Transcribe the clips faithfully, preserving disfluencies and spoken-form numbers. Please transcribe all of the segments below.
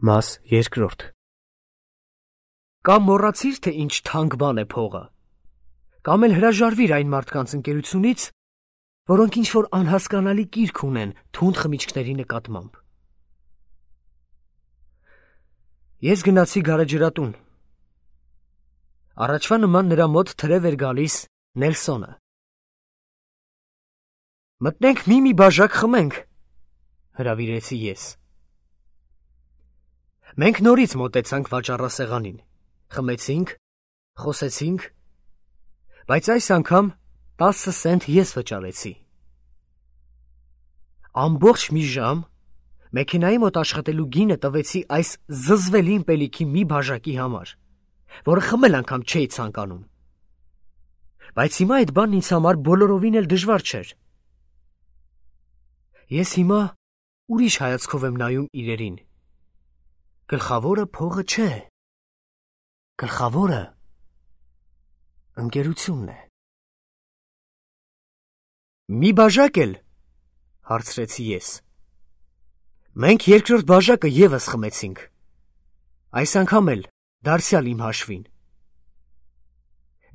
Մաս երկրորդ։ Կամ մոռացիր, թե ինչ թանկ բան է փողը, կամ էլ հրաժարվիր այն մարդկանց ընկերությունից, որոնք ինչ-որ անհասկանալի կիրք ունեն թունդ խմիչքների նկատմամբ։ Ես գնացի գարեջրատուն։ Առաջվա նման նրա մոտ թրև էր գալիս Նելսոնը։ Մտնենք մի-մի բաժակ խմենք, հրավիրեցի ես։ Մենք նորից մոտեցանք վաճառասեղանին, խմեցինք, խոսեցինք, բայց այս անգամ տասը սենտ ես վճարեցի։ Ամբողջ մի ժամ մեքենայի մոտ աշխատելու գինը տվեցի այս զզվելի ըմպելիքի մի բաժակի համար, որը խմել անգամ չէի ցանկանում։ Բայց հիմա այդ բանն ինձ համար բոլորովին էլ դժվար չէր։ Ես հիմա ուրիշ հայացքով եմ նայում իրերին։ Գլխավորը փողը չէ, գլխավորը ընկերությունն է։ Մի բաժակ էլ, հարցրեցի ես։ Մենք երկրորդ բաժակը ևս խմեցինք, այս անգամ էլ դարձյալ իմ հաշվին։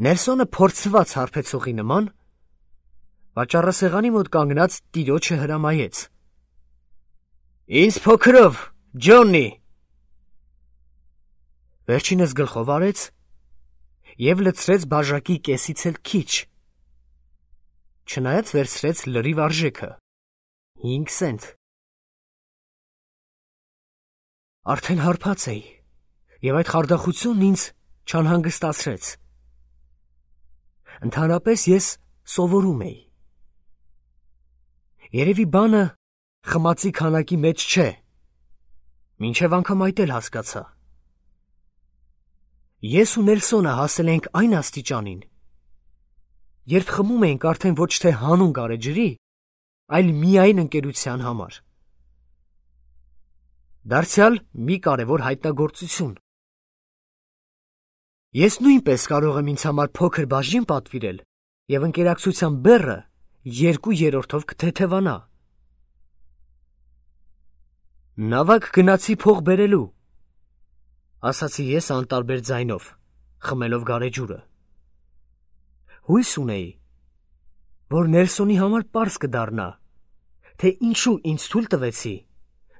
Նելսոնը փորձված հարբեցողի նման վաճառասեղանի մոտ կանգնած տիրոջը հրամայեց. Ինձ փոքրով, Ջոննի։ Վերջինս գլխով արեց և լցրեց բաժակի կեսից էլ քիչ, չնայած վերցրեց լրիվ արժեքը, հինգ սենտ։ Արդեն հարբած էի, և այդ խարդախությունն ինձ չանհանգստացրեց։ Ընդհանրապես ես սովորում էի։ Երևի բանը խմածի քանակի մեջ չէ, մինչև անգամ այդ էլ հասկացա։ Ես ու Նելսոնը հասել ենք այն աստիճանին, երբ խմում էինք արդեն ոչ թե հանուն գարեջրի, այլ միայն ընկերության համար։ Դարձյալ մի կարևոր հայտնագործություն։ Ես նույնպես կարող եմ ինձ համար փոքր բաժին պատվիրել և ընկերակցության բեռը երկու երրորդով կթեթևանա։ Նավակ գնացի փող բերելու, ասացի ես անտարբեր ձայնով, խմելով գարեջուրը։ Հույս ունեի, որ Նելսոնի համար պարզ կդառնա, թե ինչու ինձ թույլ տվեցի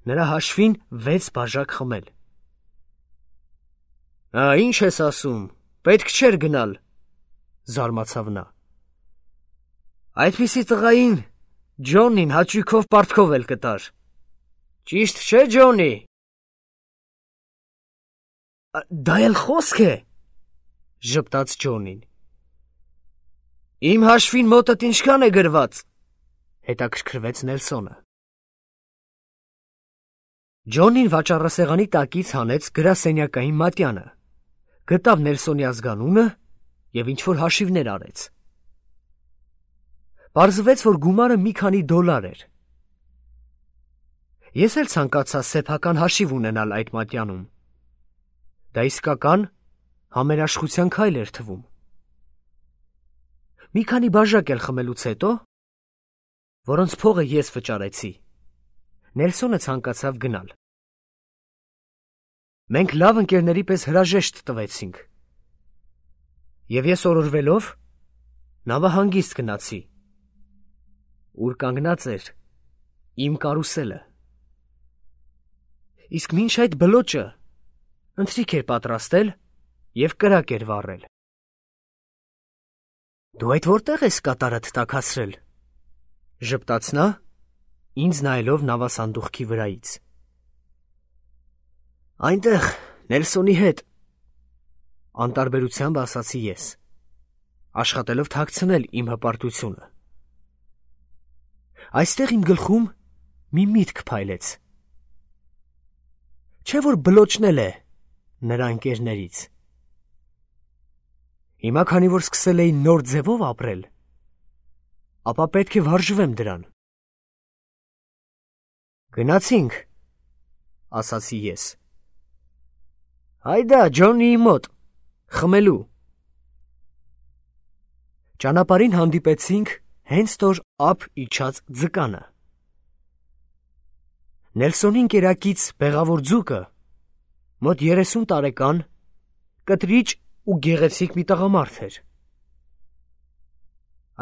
նրա հաշվին վեց բաժակ խմել։ Ա, ինչ ես ասում, պետք չէր գնալ, զարմացավ նա։ Այդպիսի տղային Ջոննին հաճույքով պարտքով էլ կտար։ Ճիշտ չէ, Ջոննի։ Դա էլ խոսք է, ժպտաց Ջոննին։ Իմ հաշվին մոտդ ինչքան է գրված, հետաքրքրվեց Նելսոնը։ Ջոննին վաճառասեղանի տակից հանեց գրասենյակային մատյանը, գտավ Նելսոնի ազգանունը և ինչ-որ հաշիվներ արեց։ Պարզվեց, որ գումարը մի քանի դոլար էր։ Ես էլ ցանկացա սեփական հաշիվ ունենալ այդ մատյանում։ Դա իսկական համերաշխության քայլ էր թվում։ Մի քանի բաժակ էլ խմելուց հետո, որոնց փողը ես վճարեցի, Նելսոնը ցանկացավ գնալ։ Մենք լավ ընկերների պես հրաժեշտ տվեցինք, և ես օրորվելով նավահանգիստ գնացի, ուր կանգնած էր իմ կարուսելը։ Իսկ մինչ այդ բլոճը ընթրիք էր պատրաստել և կրակ էր վառել։ Դու այդ որտեղ ես կատարդ տաքացրել, ժպտաց նա, ինձ նայելով նավասանդուղքի վրայից։ Այնտեղ, Նելսոնի հետ, անտարբերությամբ ասացի ես, աշխատելով թաքցնել իմ հպարտությունը։ Այստեղ իմ գլխում մի միտք փայլեց։ Չէ՞ որ բլոճն էլ է նրա ընկերներից։ Հիմա, քանի որ սկսել էի նոր ձևով ապրել, ապա պետք է վարժվեմ դրան։ Գնացինք, ասացի ես։ Հայդա, Ջոննիի մոտ, խմելու։ Ճանապարհին հանդիպեցինք հենց տոր ափ իջած ձկանը։ Նելսոնի ընկերակից բեղավոր ձուկը մոտ երեսուն տարեկան, կտրիճ ու գեղեցիկ մի տղամարդ էր։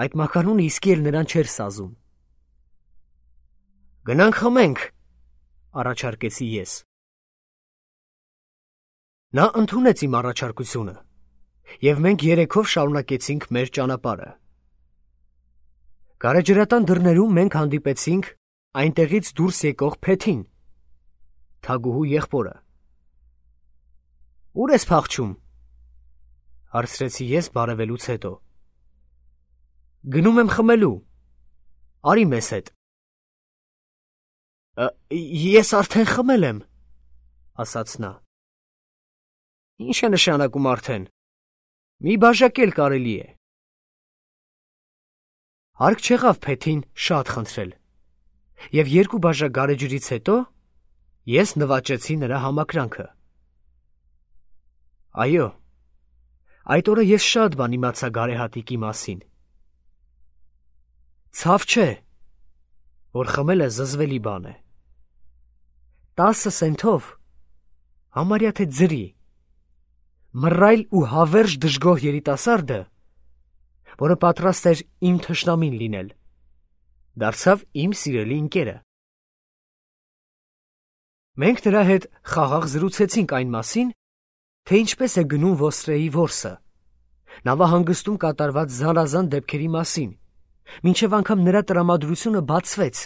Այդ մականունը իսկի էլ նրան չէր սազում։ «Գնանք խմենք», առաջարկեցի ես։ Նա ընդունեց իմ առաջարկությունը, և մենք երեքով շարունակեցինք մեր ճանապարհը։ Գարեջրատան դռներում մենք հանդիպեցինք այնտեղից դուրս եկող Փեթին, Թագուհու եղբորը։ «Ուր ես փախչում», հարցրեցի ես բարևելուց հետո։ «Գնում եմ խմելու, արի մեզ հետ»։ «Ես արդեն խմել եմ», ասաց նա։ «Ինչ է նշանակում արդեն, մի բաժակ էլ կարելի է»։ Հարկ չեղավ Փեթին շատ խնդրել, և երկու բաժակ գարեջրից հետո ես նվաճեցի նրա համակրանքը։ Այո, այդ օրը ես շատ բան իմացա գարեհատիկի մասին։ Ցավ չէ, որ խմելը զզվելի բան է։ Տասը սենթով, համարյա թե ձրի, մռայլ ու հավերժ դժգոհ երիտասարդը, որը պատրաստ էր իմ թշնամին լինել, դարձավ իմ սիրելի ընկերը։ Մենք նրա հետ խաղաղ զրուցեցինք այն մասին, թե ինչպես է գնում ոստրեի որսը, նավահանգստում կատարված զանազան դեպքերի մասին, մինչև անգամ նրա տրամադրությունը բացվեց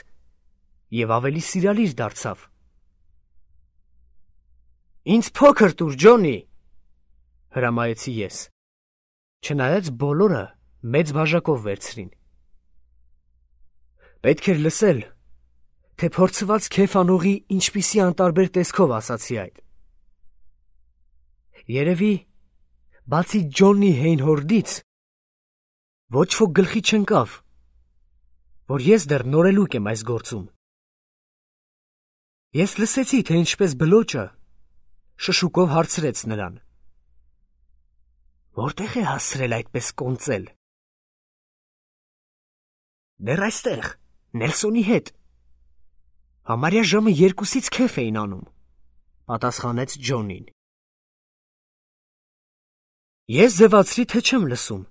և ավելի սիրալիր դարձավ։ «Ինձ փոքր տուր, Ջոնի», հրամայեցի ես, չնայած բոլորը մեծ բաժակով վերցրին։ Պետք էր լսել, թե փորձված քեֆ անողի ինչպիսի անտարբեր տեսքով ասացի այդ։ Երևի, բացի Ջոնի Հեյնհորդից, ոչ ոք գլխի չընկավ, որ ես դեռ նորելուկ եմ այս գործում։ Ես լսեցի, թե ինչպես բլոճը շշուկով հարցրեց նրան. «Որտեղ է հասցրել այդպես կոնծել»։ «Դեռ այստեղ, Նելսոնի հետ։ Համարյա ժամը երկուսից քեֆ էին անում», պատասխանեց Ջոնին։ Ես ձևացրի, թե չեմ լսում,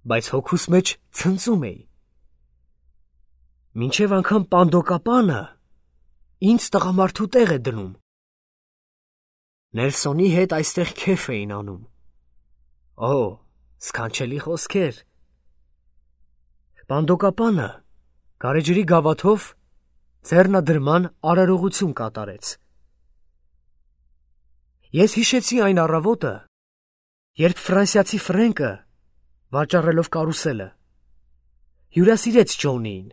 բայց հոգուս մեջ ցնծում էի։ Մինչև անգամ պանդոկապանը ինձ տղամարդու տեղ է դնում։ Նելսոնի հետ այստեղ քեֆ էին անում։ Օ, սքանչելի խոսքեր։ Պանդոկապանը գարեջրի գավաթով ձեռնադրման արարողություն կատարեց։ Ես հիշեցի այն առավոտը, երբ ֆրանսիացի Ֆրենկը, վաճառելով կարուսելը, հյուրասիրեց Ջոնիին։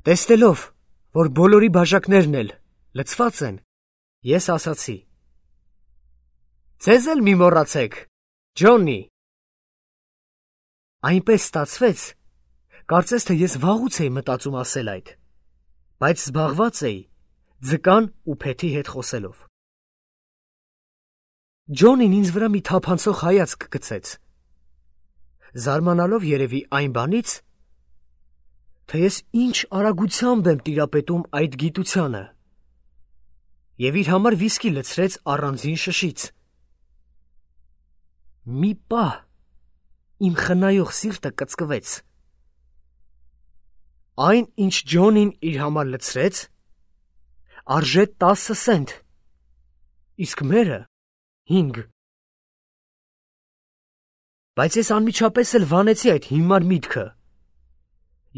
Տեսնելով, որ բոլորի բաժակներն էլ լցված են, ես ասացի. «Ձեզ էլ մի մոռացեք, Ջոնի»։ Այնպես ստացվեց, կարծես թե ես վաղուց էի մտածում ասել այդ, բայց զբաղված էի ձկան ու Փեթի հետ խոսելով։ Ջոնին ինձ վրա մի թափանցող հայացք գցեց, զարմանալով երևի այն բանից, թե ես ինչ արագությամբ եմ տիրապետում այդ գիտությանը, և իր համար վիսկի լցրեց առանձին շշից։ Մի պահ իմ խնայող սիրտը կծկվեց։ Այն, ինչ Ջոնին իր համար լցրեց, արժե տասը սենթ, իսկ մերը հինգ։ Բայց ես անմիջապես էլ վանեցի այդ հիմար միտքը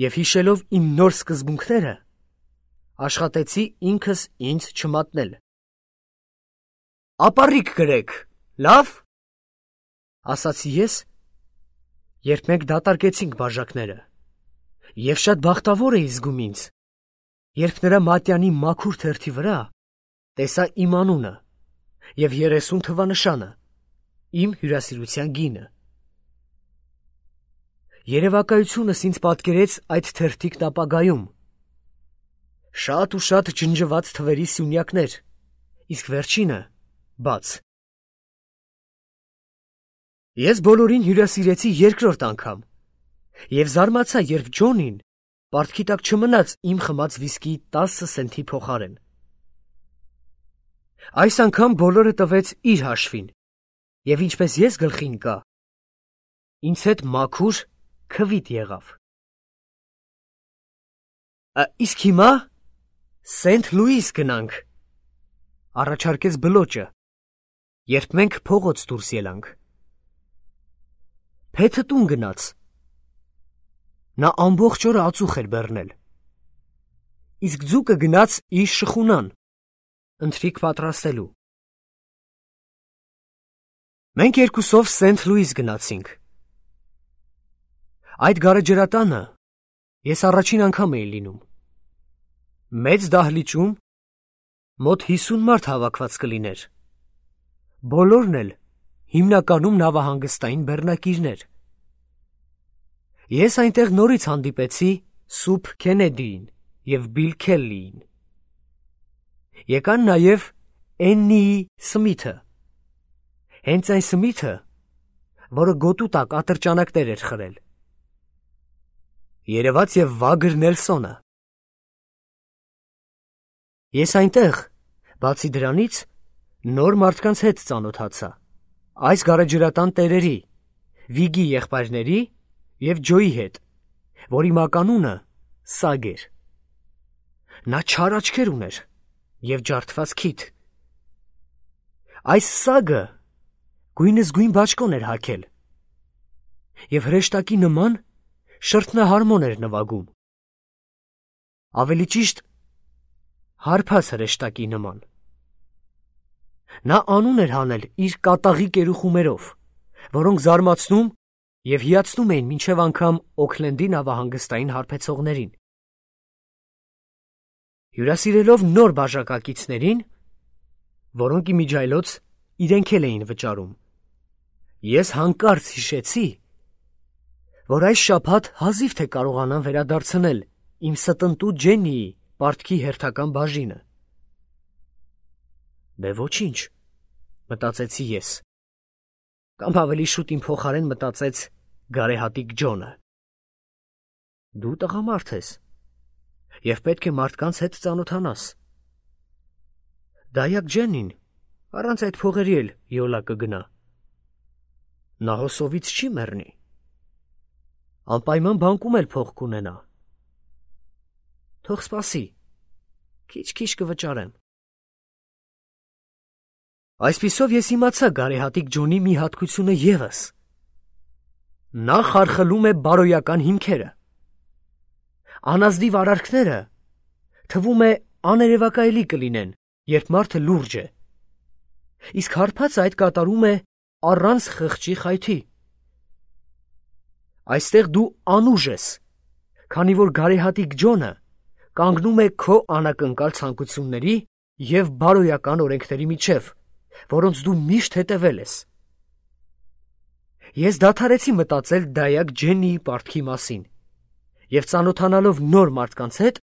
և հիշելով իմ նոր սկզբունքները, աշխատեցի ինքս ինձ չմատնել։ «Ապառիկ կրեք, լավ», ասացի ես, երբ մենք դատարկեցինք բաժակները, և շատ բախտավոր էի զգում ինձ, երբ նրա մատյանի մաքուր թերթի վրա տեսա իմ անունը և երեսուն թվանշանը, իմ հյուրասիրության գինը։ Երևակայությունս ինձ պատկերեց այդ թերթիկն ապագայում։ Շատ ու շատ ջնջված թվերի սյունյակներ, իսկ վերջինը բաց։ Ես բոլորին հյուրասիրեցի երկրորդ անգամ և զարմացա, երբ Ջոնին պարտքի տակ չմնաց իմ խմած վիսկիի տասը սենթի փոխարեն։ Այս անգամ բոլորը տվեց իր հաշվին, և ինչպես ես գլխի ընկա, ինձ հետ մաքուր քվիթ եղավ։ Իսկ հիմա Սենթ Լուիս գնանք, առաջարկեց բլոճը, երբ մենք փողոց դուրս ելանք։ Փեթը տուն գնաց։ Նա ամբողջ օրը ածուխ էր բեռնել։ Իսկ ձուկը գնաց իր շխունան, ընթրիք պատրաստելու։ Մենք երկուսով Սենթ Լուիս գնացինք։ Այդ գարեջրատանը ես առաջին անգամ էի լինում։ Մեծ դահլիճում մոտ հիսուն մարդ հավաքված կլիներ։ Բոլորն էլ հիմնականում նավահանգստային բեռնակիրներ։ Ես այնտեղ նորից հանդիպեցի Սուփ Քենեդիին և Բիլ Քելլիին։ Եկան նաև Էննիի Սմիթը, հենց այն Սմիթը, որը գոտու տակ ատրճանակներ էր խրել։ Երևաց և Վագր Նելսոնը։ Ես այնտեղ, բացի դրանից, նոր մարդկանց հետ ծանոթացա, այս գարեջրատան տերերի, Վիգի եղբայրների և Ջոյի հետ, որի մականունը Սագ էր։ Նա չար աչքեր ուներ և ջարդված քիթ։ Այս Սագը գույնզգույն բաճկոն էր հագել և հրեշտակի նման շրթնահարմոն էր նվագում, ավելի ճիշտ հարբած հրեշտակի նման։ Նա անուն էր հանել իր կատաղի կերուխումերով, որոնք զարմացնում և հիացնում էին մինչև անգամ Օքլենդի նավահանգստային հարբեցողներին։ Հյուրասիրելով նոր բաժակակիցներին, որոնք իմիջիայլոց իրենք էլ էին վճարում, ես հանկարծ հիշեցի, որ այս շաբաթ հազիվ թե կարողանամ վերադարձնել իմ ստնտու Ջեննիի պարտքի հերթական բաժինը։ Դե ոչինչ, մտածեցի ես, կամ ավելի շուտ իմ փոխարեն մտածեց գարեհատիկ Ջոնը։ Դու տղամարդ ես և պետք է մարդկանց հետ ծանոթանաս։ Դայակ Ջեննին առանց այդ փողերի էլ յոլա կգնա։ Նա հոսովից չի մեռնի։ Անպայման բանկում էլ փող կունենա։ Թող սպասի, քիչ-քիչ կվճարեմ։ Այսպիսով ես իմացա գարեհատիկ Ջոնի մի հատկությունը ևս։ Նա խարխլում է բարոյական հիմքերը։ Անազնիվ արարքները թվում է աներևակայելի կլինեն, երբ մարդը լուրջ է, իսկ հարբածը այդ կատարում է առանց խղճի խայթի։ Այստեղ դու անուժ ես, քանի որ գարեհատիկ Ջոնը կանգնում է քո անակնկալ ցանկությունների և բարոյական օրենքների միջև, որոնց դու միշտ հետևել ես։ Ես դադարեցի մտածել դայակ Ջեննիի պարտքի մասին և ծանոթանալով նոր մարդկանց հետ,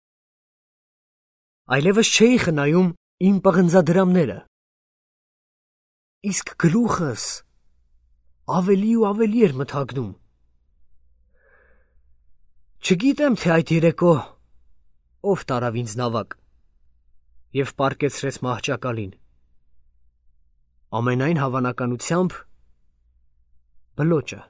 այլևս չէի խնայում իմ պղնձադրամները, իսկ գլուխս ավելի ու ավելի էր մթագնում։ Չգիտեմ, թե այդ երեկո ով տարավ ինձ նավակ և պառկեցրեց մահճակալին։ Ամենայն հավանականությամբ բլոճը։